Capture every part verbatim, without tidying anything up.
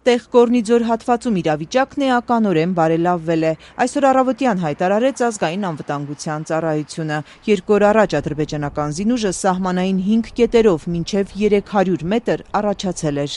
Տեղ Կորնիձոր հատվածում իրավիճակն էականորեն բարելավվել է։ Այսօր առավոտյան հայտարարեց ազգային անվտանգության ծառայությունը։ Երկու օր առաջ ադրբեջանական զինուժը սահմանային հինգ կետերով մինչև երեք հարյուր մետր առաջացել էր։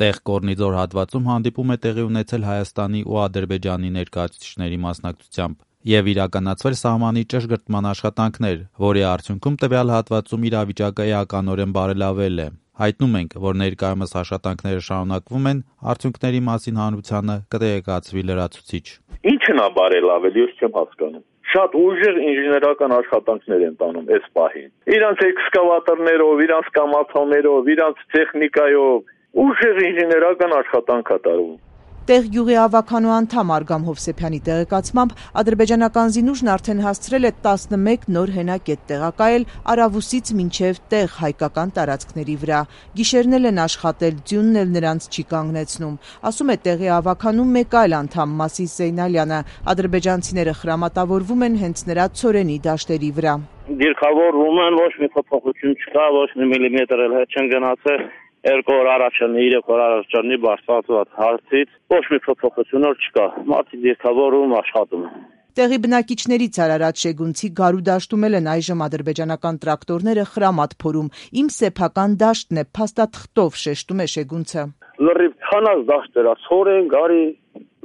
Տեղ Կորնիձոր հատվածում հանդիպում է տեղի ունեցել Հայաստանի ու Ադրբեջանի ներկայացուցիչների մասնակցությամբ եւ իրականացվել սահմանի ճշգրտման աշխատանքներ, որի արդյունքում տվյալ հատվածում իրավիճակը էականորեն բարելավել է։ Հայտնում ենք, որ ներկայումս աշխատանքները շարունակվում են, արդյունքների մասին հանրությանը կտեղեկացվի լրացուցիչ։ Ինչն է բարելավել, ես չեմ հասկանում։ Շատ ուժեղ ինժեներական աշխատանքներ են տանում այս պահին։ Իրանց էքսկավատորներով, իրանց կամացաներով, իրանց տեխնիկայով ուժեղ ինժեներական աշխատանք է տարվում։ Տեղ գյուղի ավականու անդամ Արգամ Հովսեփյանի տեղեկացմամբ ադրբեջանական զինուժն արդեն հասցրել է տասնմեկ նոր հենակետ տեղակայել Արավուսից մինչև Տեղ հայկական տարածքների վրա։ Գիշերն են աշխատել, ձյունն էլ նրանց չի կանգնեցնում, ասում է տեղի ավականու մեկ այլ անդամ Մասիս Զեյնալյանը։ Ադրբեջանցիները խրամատավորվում են հենց նրա ցորենի դաշտերի վրա։ Դիրքավորվում են, ոչ մի փոփոխություն չկա, ոչ մի միլիմետր էլ հետ չեն գնացել։ Երկու օր առաջնի, երեք օր առաջնի բարձրացված հարցից ոչ մի փոփոխություն չկա։ Մարդիկ դիրքավորում աշխատում են։ Տեղի բնակիչներից Արարատ Շեգունցի Գարու դաշտում են այժմ ադրբեջանական տրակտորները խրամատ փորում։ Իմ սեփական դաշտն է, փաստաթղթով շեշտում է Շեգունցը։ Լրիվ ցանած դաշտերա, ցորեն, գարի,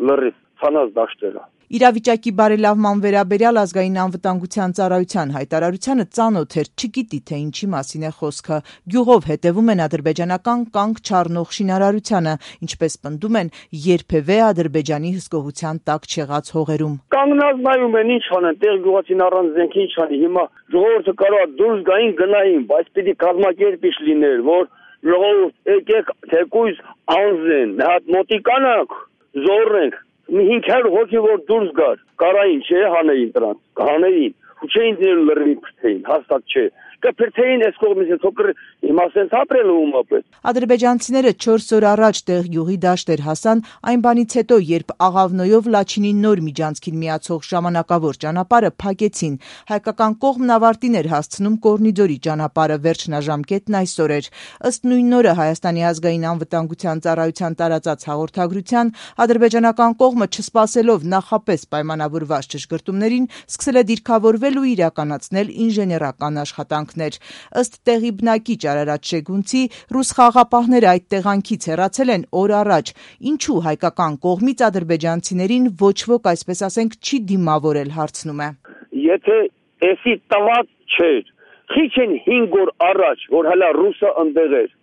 լրիվ ցանած դաշտերա։ Իրավիճակի բարելավման վերաբերյալ ազգային անվտանգության ծառայության հայտարարությանը ծանոթ էր, չգիտի թե ինչի մասին է խոսքը։ Գյուղով հետևում են ադրբեջանական կանգ չառնող շինարարությանը, ինչպես պնդում են, երբևէ Ադրբեջանի հսկողության տակ չեղած հողերում։ Կանգնած նայում են, ինչ անեն, տեղ գյուղացին առանց զենքի ինչ անի, հիմա ժողովուրդը կարող է դուրս գային գնային, բայց պիտի կազմակերպիչ լիներ, որ ժողովուրդ եկեք թեկուզ անզեն, մի հատ մոտիկանանք, զոռենք։ Մի հինգ հարյուր հոգի որ դուրս գար, կարային չէ հանեին դրանց, հանեին, ու չէին դրել լրիվ փրթեին, հաստատ չէ, կփրթեին այս կողմից փոքր հիմա սենց ապրել ումապես։ Ադրբեջանցիները չորս օր առաջ Տեղ գյուղի դաշտեր հասան այն բանից հետո, երբ Աղավնոյով Լաչինի նոր միջանցքին միացող ժամանակավոր ճանապարհը փակեցին։ Հայկական կողմն ավարտին էր հասցնում Կորնիձորի ճանապարհը, վերջնաժամկետն այսօր էր։ Ըստ նույն օրը Հայաստանի ազգային անվտանգության ծառայության տարածած հաղորդագրության ադրբեջանական կողմը չսպասելով նախապես պայմանավորված ճշգրտումներին սկսել է դիրքավորվել ու իրականացնել ինժեներական աշխատանքներ։ Ըստ տեղի բնակիչ Արարատ Շեգունցի, ռուս խաղաղապահները այդ տեղանքից հեռացել են օր առաջ։ Ինչու հայկական կողմից ադրբեջանցիներին ոչ ոք, այսպես ասենք, չի դիմավորել, հարցնում է։ Եթե էսի տված չէր, քիչ են հինգ օր առաջ, որ հələ ռուսը ընդեղ էր,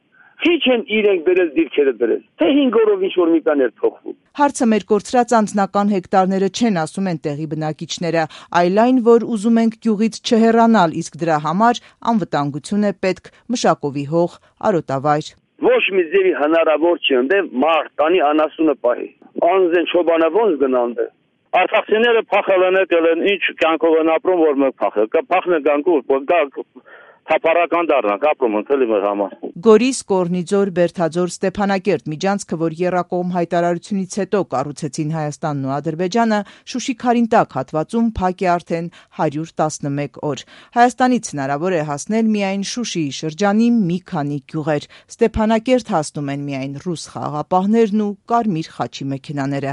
քիչ են իրենք դրել դիրքերը դրել, թե հինգ օրով ինչ-որ մի բան էր փոխվում։ Հարցը մեր կորցրած անձնական հեկտարները չեն, ասում են տեղի բնակիչները, այլ այն, որ ուզում ենք գյուղից չհեռանալ, իսկ դրա համար անվտանգություն է պետք, մշակովի հող, արոտավայր։ Ոչ մի ձևի հնարավոր չի ընդե մարդ տանի անասունը պահի։ Անզեն չոբանը ոնց գնան դե։ Արցախցիները փախել են եկել են, ինչ կյանքով են ապրում, որ մենք փախել։ Կփախնե գանքուր, թափառական դառնանք, ապրում ենք էլի մեր համար։ Գորիս, Կորնիձոր, Բերթաձոր, Ստեփանակերտ միջանցքը, որ եռակողմ հայտարարությունից հետո կառուցեցին Հայաստանն ու Ադրբեջանը, Շուշի-Քարինտակ հատվածում փակ է արդեն հարյուր տասնմեկ օր։ Հայաստանից հնարավոր է հասնել միայն Շուշիի շրջանի մի քանի գյուղեր։ Ստեփանակերտ հասնում են միայն ռուս խաղաղապահներն ու Կարմիր խաչի մեքենաները։